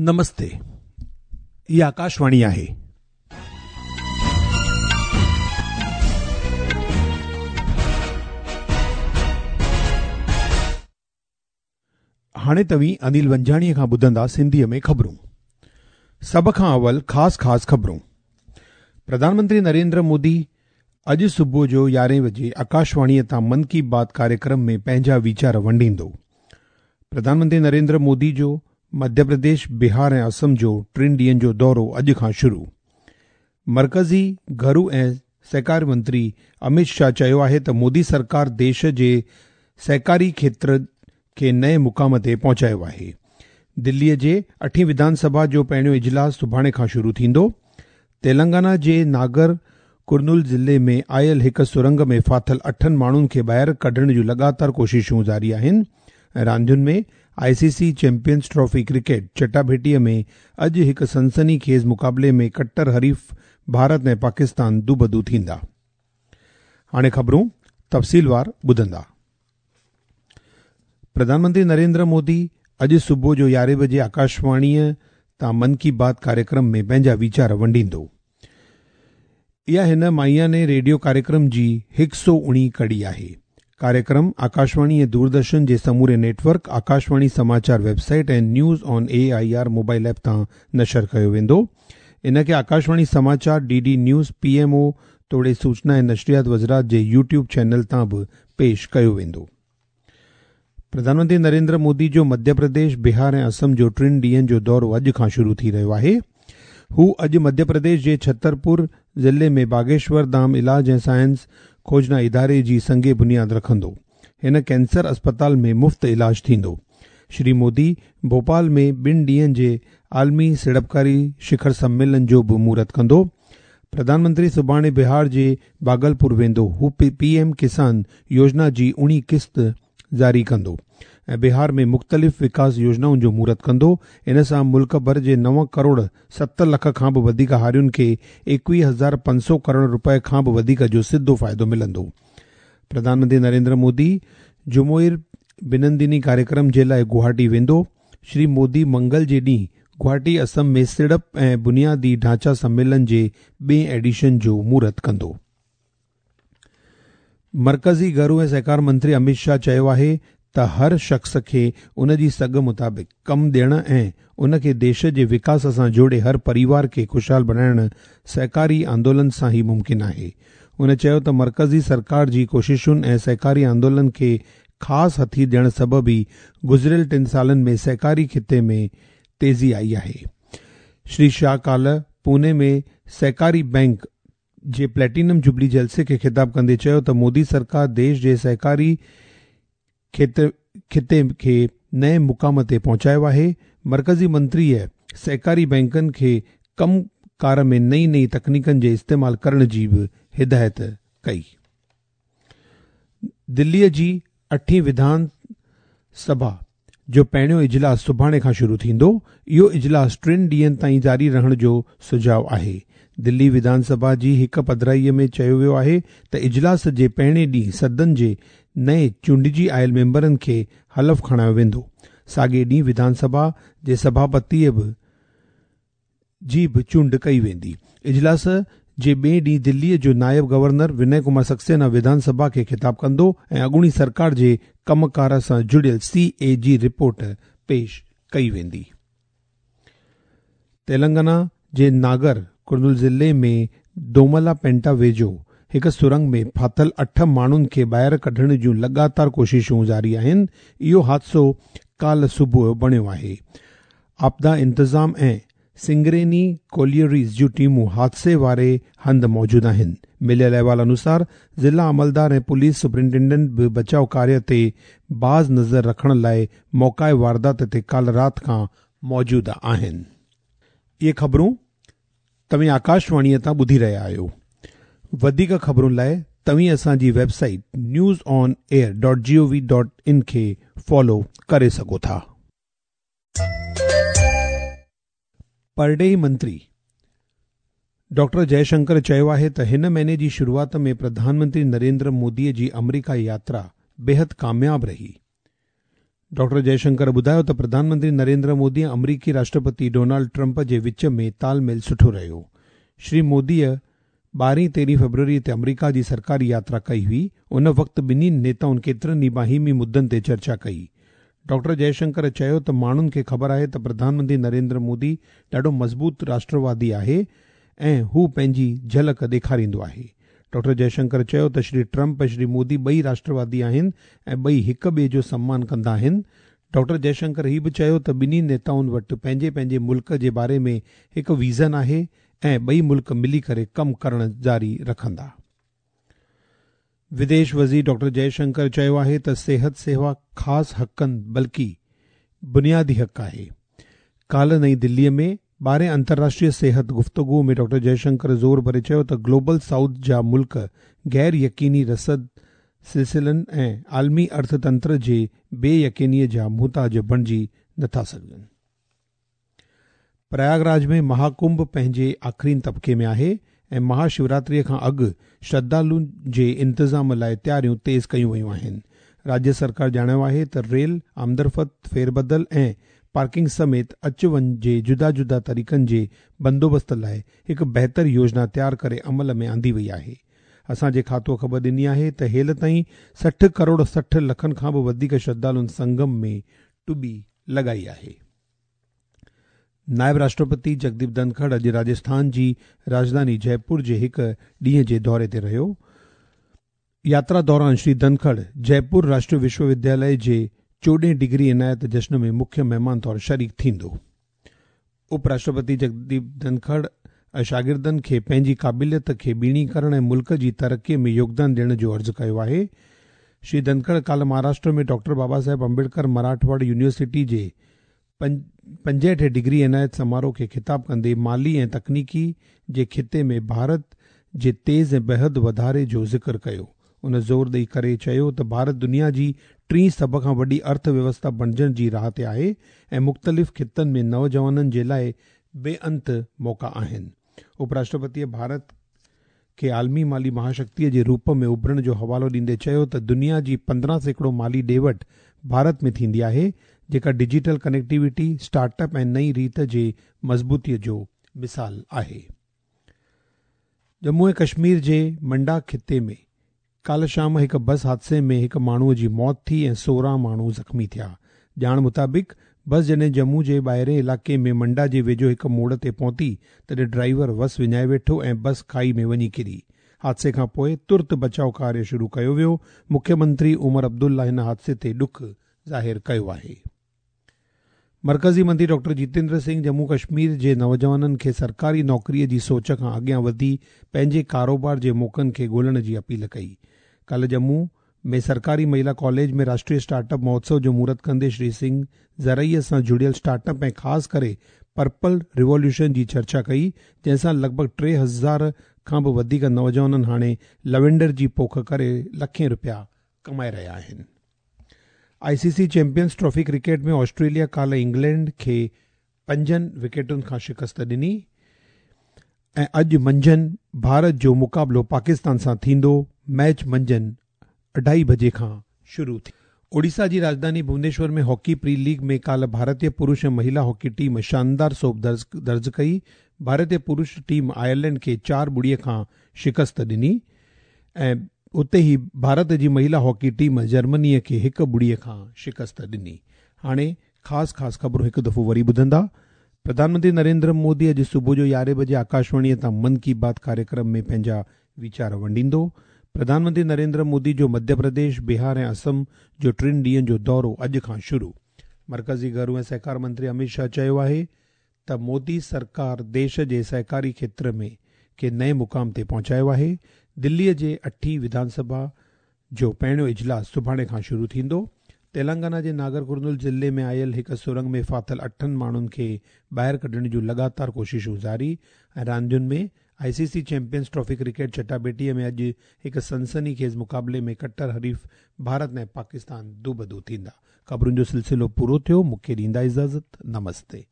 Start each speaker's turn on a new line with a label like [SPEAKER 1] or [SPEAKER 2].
[SPEAKER 1] نمستي، هي آڪاشواڻي آهي. هاڻي توهين انيل ونجاڻيء کان ٻڌندا سنڌيء ۾ خبرون. سڀ کان اول خاص خاص خبرون. پرڌان منتري نريندر مودي اڄ صبح جو يارهين وڄي آڪاشواڻيء تان من ڪي بات ڪاريڪرم ۾ پنهنجا ويچار ونڊيندو. پرڌان منتري نريندر مودي جو مڌيه پرديش، بهار ۽ اسم جو ٽن ڏينهن جو دورو اڄ کان شروع. مرڪزي گهرو ۽ سهڪار منتري امت شاهه چيو آهي ته مودي سرڪار ديش جي سهڪاري کيتر کي نئين مقام تي پهچايو آهي. دليء جي اٺين وڌان سڀا جو پهريون اجلاس سڀاڻي کان شروع ٿيندو. تيلنگانا جي ناگر ڪرنول ضلعي ۾ آيل هڪ سرنگ ۾ ڦاٿل اٺن ماڻهن کي ٻاهر ڪڍڻ جون لڳاتار ڪوششون جاري آهن ۽ راندين ۾ I C C champions trophy cricket چٽاڀيٽيء ۾ اڄ هڪ سنسني خيز مقابلي ۾ ڪٽر حريف ڀارت ۽ پاڪستان دوبدو ٿيندا. هاڻي خبرون تفصيلوار ٻڌندا. پرڌان منتري نريندر مودي اڄ صبح جو يارهين بجي آڪاشواڻيء تان من ڪي بات ڪاريڪرم ۾ پنهنجا ويچار ونڊيندو. اها هن ماهياني ريڊيو ڪاريڪرم جي هڪ سئو اڻيهه ڪڙي آهي. ڪاريڪرم آڪاشواڻي ۽ دوردرشن جي سموري net work, Akashvani Samachar web site ۽ news on A I R mobile app تان نشر ڪيو ويندو. ان کي آڪاشواڻي سماچار، D D news, P M O توڙي سوچنا ۽ نشريات وزرات جي يوٽيوب چينل تان به پيش ڪيو ويندو. پرڌان منتري نريندر مودي جو مڌيه پرديش، بهار ۽ اسم جو ٽن ڏينهن جو دورو اڄ کان شروع ٿي رهيو آهي. هو اڄ مڌيه پرديش جي ڇترپور ضلعي ۾ باگيشور ڌام علاج ۽ سائنس کوجنا اداري جي سنگ بنياد رکندو. هن ڪينسر اسپتال ۾ مفت علاج ٿيندو. شري مودي ڀوپال ۾ ٻن ڏينهن جي عالمي سيڙپڪاري شکر سميلن جو به مهورت ڪندو. پرڌان منتري سڀاڻي بهار جي ڀاگلپور ويندو. هو پي ايم ڪسان يوجنا جي اڻيهين قسط جاري ڪندو ۽ بهار ۾ مختلف وڪاس يوجنائن جو مهورت ڪندو. ان سان ملڪ ڀر جي نو ڪروڙ ست لک کان به وڌيڪ هارين کي 21500 ڪروڙ رپين کان به وڌيڪ جو سڌو فائدو ملندو. پرڌان منتري نريندر مودي جمهوري بنندني ڪاريڪرم جي لاء گوهاٽي ويندو. شري مودي منگل جي ڏينهن گوهاٽي اسم ۾ سيڙپ ۽ بنيادي ڍانچا سميلن جي ٻئين ايڊيشن جو مهورت ڪندو. مرڪزي گهرو ۽ سهڪار منتري امت شاهه چيو آهي ته هر شخص کي ان جي سگهه مطابق ڪم ڏيڻ ۽ ان کي ديش جي وڪاس سان جوڙي هر پريوار کي خوشحال بڻائڻ سهڪاري آندولن سان ئي ممڪن آهي. هن چيو ته مرڪزي سرڪار جي ڪوششن ۽ سهڪاري آندولن کي خاص هٿي ڏيڻ سبب ئي گذريل ٽن سالن ۾ سهڪاري خطي ۾ تيزي آئي آهي. شري شاهه ڪالهه پوني ۾ سهڪاري بئنڪ جي پليٽينم جوبلي جلسي کي خطاب ڪندي چيو ته مودي سرڪار ديش جي سهڪاري خطي کي نئين مقام تي پهچايو آهي. مرڪزي منتريء سهڪاري بئنڪن کي ڪم ڪار ۾ نئين نئين تڪنيڪن جي استعمال ڪرڻ جي به هدايت ڪئي. دليء جي اٺين وڌان سڀا جو پهريون اجلاس سڀاڻي کان شروع ٿيندو. اهو اجلاس ٽن ڏينهن تائين جاري رهڻ جو سجهاء آهي. دلي وڌان سڀا جي هڪ پڌرائيء ۾ چيو ويو آهي ته اجلاس جي پهرين ڏينهن سدن جي نئين چونڊجي آيل ميمبرن کي حلف کڻايو ويندو. ساڳئي ڏينهن وڌان سڀا جي سڀاپتيء به جي به چونڊ ڪئي ويندي. اجلاس جي ٻئي ڏينهن دليء جو نائب گورنر ونئي ڪمار سڪسينا وڌان سڀا کي خطاب ڪندو ۽ اڳوڻي سرڪار جي ڪم ڪار سان جڙيل سي اي جي رپورٽ پيش ڪئي ويندي. تيلنگانا جي ناگر ڪرنول ضلعي ۾ دوملا پينٽا ويجهو هڪ سرنگ ۾ ڦاٿل اٺ ماڻهن کي ٻاهر ڪڍڻ جون لڳاتار ڪوششون جاري آهن. اهو حادثو ڪالهه صبح بڻيو آهي. آپدا انتظام ۽ سنگريني ڪوليئريز جون ٽيمون حادثي واري هنڌ موجود آهن. مليل احوال انوسار ضلع عملدار ۽ پوليس سپرنٽينڊنٽ به بچاء ڪاريه تي باز نظر رکڻ لاء موقعي واردات تي ڪالهه رات کان موجود آهن. اهي خبرون توهين آڪاشواڻيء تان ٻڌي رهيا آهيو. وڌيڪ خبرن لاء توهين اسان جي web site news on air dot G O V dot in کي فالو ڪري سگهو ٿا. پرڏيهي منتري ڊاڪٽر جئه شنڪر چيو آهي ته هن مهيني جي شروعات ۾ پرڌان منتري نريندر مودي جي آمريڪا ياترا بيحد ڪامياب رهي. ڊاڪٽر جئي شنڪر ٻڌايو ته پرڌان منتري نريندر مودي ۽ آمريڪي راشٽرپتي ڊونلڊ ٽرمپ جي وچ ۾ تال ميل سٺو رهيو. شري موديء ٻارهين تيرهين فيبروري تي آمريڪا جي سرڪاري ياترا ڪئي هئي، ان وقت ٻنهي نيتائن ڪيترن ئي باهمي مدن تي چرچا ڪئي. ڊاڪٽر جئي شنڪر چيو ته ماڻهن کي خبر آهي ته پرڌان منتري نريندر مودي ڏاڍو مضبوط راشٽروادي آهي ۽ هو پنهنجي جهلڪ ڏيکاريندو آهي. ڊاڪٽر جئي شنڪر چيو ته شري ٽرمپ ۽ شري مودي ٻئي راشٽروادي آهن ۽ ٻئي هڪ ٻئي جو سمان ڪندا آهن. ڊاڪٽر جئي شنڪر هي به چيو ته ٻنهي نيتائن وٽ پنهنجي پنهنجي ملڪ جي باري ۾ هڪ ويزن آهي ۽ ٻئي ملڪ ملي ڪري ڪم ڪرڻ جاري رکندا. وديش وزير ڊاڪٽر جئي شنڪر چيو آهي ته صحت سيوا خاص حقن بلڪه بنيادي حق آهي. ڪالهه نئين دلي ۾ ٻارهين انترراشٽريه صحت گفتگو ۾ ڊاڪٽر جئي شنڪر زور ڀري چيو ته گلوبل سائوٿ جا ملڪ غير يقيني رسد سلسلن ۽ عالمي ارٿ تنتر جي بي يقيني جا محتاج بڻجي نٿا سگهن. پرياگ راج ۾ مها ڪنڀ پنهنجي آخرين طبقي ۾ آهي ۽ مها شوراتريء کان اڳ شرڌالن جي انتظام لاء تياريون تيز ڪيون ويون آهن. راجيه سرڪار ڄاڻايو آهي ته ريل آمدرفت، ڦيربدل ۽ پارڪنگ سميت اچ وڃ جي جدا جدا طريقن جي بندوبست لاء هڪ بهتر يوجنا تيار ڪري عمل ۾ آندي وئي آهي. اسان جي کاتوء خبر ڏني آهي ته هيل تائين 60 ڪروڙ 60 لکن کان به وڌيڪ شرڌالن سنگم ۾ ٽٻي لڳائي آهي. نائب راشٽرپتي جگديپ ڌنکڙ اڄ راجسٿان جي راڄڌاني جئپور جي هڪ ڏينهن جي دوري تي رهيو. ياترا دوران شري ڌنکڙ جئپور راشٽريه وشو ودياليه جي چوڏهين ڊگري عنايت جشن ۾ مکيه مهمان طور شريڪ ٿيندو. اپ راشٽرپتي جگديپ ڌنکڙ شاگردن کي پنهنجي قابليت کي ٻيڻي ڪرڻ ۽ ملڪ جي ترقي ۾ يوگدان ڏيڻ جو عرض ڪيو آهي. شري ڌنکڙ ڪالهه مهاراشٽر ۾ ڊاڪٽر بابا صاحب امبيڊڪر مراٺواڙ يونيورسٽي جي 65 ڊگري عنايت سماروهه کي خطاب ڪندي مالي ۽ تڪنيڪي جي خطي ۾ ڀارت جي تيز ۽ بيحد واڌاري جو ذڪر ڪيو. ان زور ڏئي ڪري چيو ته ڀارت دنيا جي ٽين سڀ کان وڏي ارٿ ويوسٿا بڻجڻ جي راهه تي آهي ۽ مختلف خطن ۾ نوجوانن جي لاء بي انت موقعا آهن. اپ راشٽرپتيء ڀارت کي عالمي مالي مهاشڪتيء جي روپ ۾ اڀرڻ جو حوالو ڏيندي چيو ته دنيا جي 15% مالي ڏي وٺ ڀارت ۾ ٿيندي آهي، جيڪا ڊجيٽل ڪنيڪٽيوٽي، اسٽارٽ اپ ۽ نئين ريت جي مضبوطيء جو مثال آهي. ڄمون ۽ ڪشمير جي منڊا خطي ۾ ڪالهه شام هڪ بس حادثي ۾ هڪ ماڻهوء جي موت ٿي ۽ 16 ماڻهو زخمي ٿيا. ڄاڻ مطابق بس جڏهن ڄمون جي ٻاهرين علائقي ۾ منڊا جي ويجهو هڪ موڙ تي پهتي تڏهن ڊرائيور وس وڃائي ويٺو ۽ بس کائي ۾ وڃي ڪري. حادثي کان پوء ترت بچاء ڪاريه شروع ڪيو ويو. مکيه منتري عمر عبدالله هن حادثي تي ڏک ظاهر ڪيو آهي. مرڪزي منتري ڊاڪٽر جتيندر سنگهه ڄمون ڪشمير جي نوجوانن کي سرڪاري نوڪريء جي سوچ کان اڳيان وڌي پنهنجي ڪاروبار جي موقعن کي ڳولڻ جي اپيل ڪئي. ڪالهه ڄمون ۾ سرڪاري مهيلا ڪاليج ۾ راشٽريه اسٽارٽ اپ مهوتسو جو مهورت ڪندي شري سنگهه زرعي سان جڙيل اسٽارٽ اپ ۽ خاص ڪري پرپل ريووليوشن جي چرچا ڪئي جنهن سان لڳ ڀڳ 3000 کان به وڌيڪ نوجوانن هاڻي لوينڊر جي پوک ڪري لکين رپيا ڪمائي رهيا آهن. I C C champions trophy cricket ۾ Australia ڪالهه انگلينڊ کي 5 وڪيٽن کان شڪست ڏني ۽ اڄ منجهند ڀارت جو مقابلو پاڪستان سان ٿيندو. ميچ منجهند 2:30 بجي کان شروع ٿيندو. اوڙيسا جي راڄڌاني ڀونيشور ۾ هاڪي پري ليگ ۾ ڪالهه ڀارتي پرش ۽ مهيلا هاڪي ٽيم شاندار سوڀ درج ڪئي. ڀارتي پرش ٽيم آئرلينڊ کي 4-0 کان شڪست ڏني ۽ اتي ئي ڀارت جي مهيلا هاڪي ٽيم جرمنيء کي 1-0 کان شڪست ڏني. هاڻي خاص خاص خبرون هڪ دفعو وري ٻڌندا. پرڌان منتري نريندر مودي اڄ صبح جو 11 بجي آڪاشواڻيء تان من ڪي بات ڪاريڪرم ۾ پنهنجا ويچار ونڊيندو. پرڌان منتري نريندر مودي جو مڌيه پرديش، بهار ۽ اسم جو ٽن ڏينهن جو دورو اڄ کان شروع. مرڪزي گهرو ۽ سهڪار منتري اميت شاهه چيو آهي ته مودي سرڪار ديش جي سهڪاري کيتر ۾ کي نئين مقام تي پهچايو آهي. دليء جي اٺين وڌان سڀا جو پهريون اجلاس سڀاڻي کان شروع ٿيندو. تيلنگانا جي ناگر ڪرنول ضلعي ۾ آيل هڪ سرنگ ۾ ڦاٿل 8 ماڻهن کي ٻاهر ڪڍڻ جون لڳاتار ڪوششون جاري ۽ راندين ۾ I C C champions trophy cricket چٽاڀيٽيء ۾ اڄ هڪ سنسني خيز مقابلي ۾ ڪٽر حريف ڀارت ۽ پاڪستان دوبدو ٿيندا. خبرن جو سلسلو پورو ٿيو، مون کي ڏيندا اجازت، نمستي.